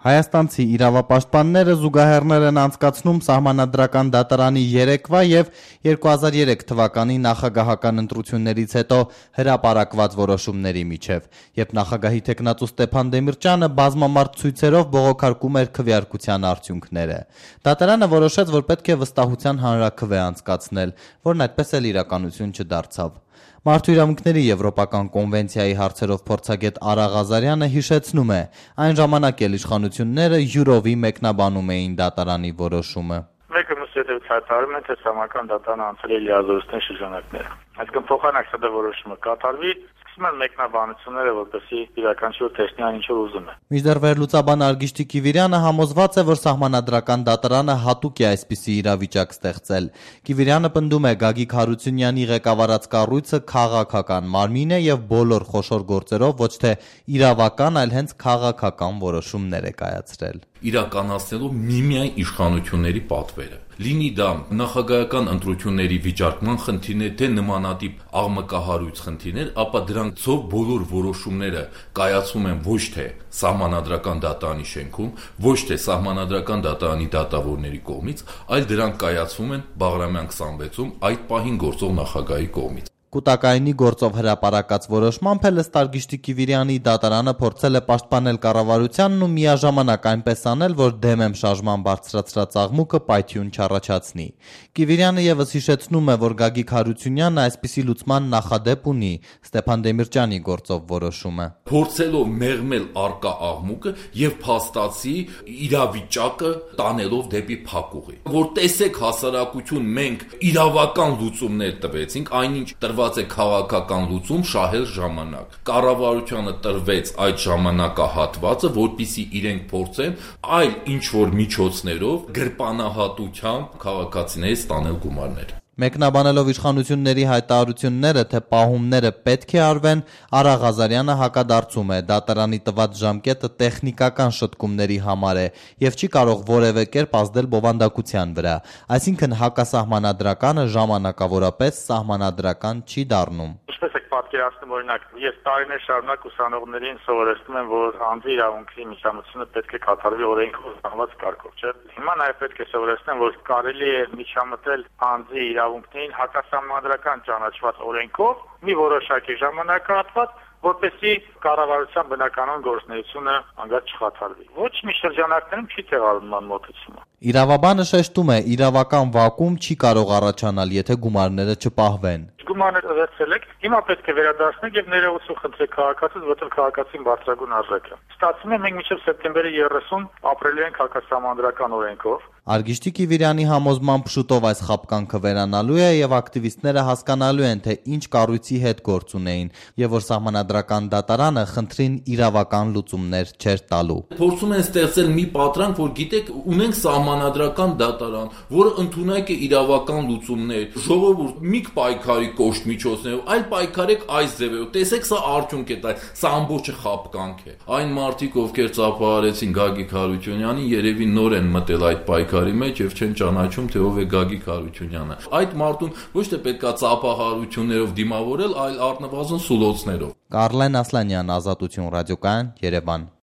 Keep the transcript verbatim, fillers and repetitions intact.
Հայաստանցի իրավապաշտպանները զուգահեռներ են անցկացնում Սահմանադրական դատարանի երեկվա և երկու հազար երեք թվականի նախագահական ընտրություններից հետո հրապարակված որոշումների միջև, երբ նախագահի թեկնածու Ստեփան Դեմիրճյանը բազմամարդ ցույցերով բողոքարկում էր քվեարկության արդյունքները։ Դատարանը որոշեց, որ պետք է վստահության հանրաքվե անցկացնել, որն այդպես էլ իրականություն չդարձավ։ Մարդու իրավունքների եվրոպական կոնվենցիայի հարցերով փորձագետ Արա Ղազարյանը հիշեցնում է, այն ժամանակ էլ իշխանությունները յուրովի մեկնաբանում էին դատարանի որոշումը։ Մեկը մյուս հետևից հայտարարում են, թե Սահմանադրական դատարանը անցել է լիազորությունների շրջանակները։ Այսինքն փոխանակ սա որոշումը կատարվի, սկսում են մեկնաբանությունները, որպեսզի յուրաքանչյուր տեսնի այն ինչ որ ուզում է։ Մինչդեռ վերլուծաբան Արգիշտի Կիվիրյանը համոզված է, որ Սահմանադրական դատարանը հատուկ է այսպիսի իրավիճակ ստեղծել։ Կիվիրյանը պնդում է, Գագիկ Հարությունյանի ղեկավարած կառույցը քաղաքական մարմին է եւ բոլոր խոշոր գործերով ոչ թե իրավական, այլ հենց քաղաքական որոշումներ է կայացրել։ Իրականացնելով միմիայն իշխանությունների պատվերը։ Լինի դա նախագահական ընտրությունների վիճարկման խնդիրներ, թե նմանատիպ աղմկահարույց խնդիրներ, ապա դրանցով բոլոր որոշումները կայացվում են ոչ թե Սահմանադրական դատարանի շենքում, ոչ թե Սահմանադրական դատարանի դատավորների կողմից, այլ դրանք կայացվում են Բաղրամյան քսանվեցում այդ պահին գործող նախագահի կողմից։ Կուտակայինի գործով հրապարակած որոշմամբ էլ ըստ Արգիշտի Կիվիրյանի դատարանը փորձել է պաշտպանել կառավարությանն ու միաժամանակ այնպես անել, որ դեմ շարժման բարձրացրած աղմուկը պայթյուն չառաջացնի։ Կիվիրյանը եւս հիշեցնում է, որ Գագիկ Հարությունյանը այսպիսի լուծման նախադեպ ունի Ստեփան Դեմիրճյանի գործով որոշումը։ Փորձելով մեղմել առկա աղմուկը եւ փաստացի իրավիճակը տանելով դեպի փակուղի։ Որ տեսեք հասարակություն, մենք իրավական լուծումներ տվեցինք, այնինչ տրված է քաղաքական լուծում շահել ժամանակ։ Կառավարությանը տրվեց այդ ժամանակահատվածը, որպեսզի իրենք փորձեն այլ ինչ որ միջոցներով գրպանահատությամբ քաղաքացիներից ստանել գումարներ։ Մեկնաբանելով իշխանությունների հայտարարությունները, թե պահումները պետք է արվեն, Արա Ղազարյանը հակադարձում է, դատարանի տված ժամկետը տեխնիկական շտկումների համար է եւ չի կարող որևէ կերպ ազդել բովանդակության վրա, այսինքն հակասահմանադրականը ժամանակավորապես սահմանադրական չի դառնում։ Ինչպես եք պատկերացնում, օրինակ, ես տարիներ շարունակ ուսանողներին սովորեցնում եմ, որ անձի իրավունքի միջամտությունը պետք է կատարվի օրենքով ստանված կարգով, չէ՞։ Հիմա նաև պետք է սովորեցնեմ, որ կարելի է միջամտել անձի իրավունքներին հակասահմանադրական ճանաչված օրենքով մի որոշակի ժամանակահատված, որպեսզի կառավարության բնականon գործունեությունը անգամ չխաթարվի։ Ոչ մի շրջանակներում չի տեղադրման մոտեցումը։ Իրավաբանը շեշտում է, իրավական վակուում չի կարող առաջանալ, եթե գումարները չպահվեն։ Գումարները վերցրել եք, հիմա պետք է վերադարձնեք եւ ներողություն խնդրեք քաղաքացուց, որտեղ քաղաքացին բարձրագույն արժեք է։ Ստացվում է մենք մինչեւ սեպտեմբերի երեսուն ապրելու ենք հակասահմանադրական օրենքով։ Արգիշտի Կիվիրյանի համոզմամբ շուտով այս խաբկանքը վերանալու է եւ ակտիվիստները հասկանալու են, թե ինչ կառույցի հետ գործ ունեին եւ որ Սահմանադրական դատարանը խնդրին իրավական լուծումներ չէր տալու։ Փորձում են ստեղծել մի պատրանք, որ գիտեք, ունենք Սահմանադրական դատարան, որը ընդունակ է իրավական լուծումներ, ժողովուրդ մի պայքարի կոշտ միջոցներով, այլ պայքարեք այս ձևերով։ Տեսեք, սա արդյունք է տա, սա ամբողջը խաբկանք է։ Այն մարդիկ, ովքեր ծափահարեցին Գագիկ Հարությունյանին, երևի նոր են մտել այդ պայքարի մեջ եւ չեն ճանաչում, թե ով է Գագիկ Հարությունյանը։ Այդ մարդուն ոչ թե պետքա ծափահարություններով դիմավորել, այլ առնվազն սուլոցներով։ Կարլեն Ասլանյան, Ազատություն ռադիոկայան, Երևան։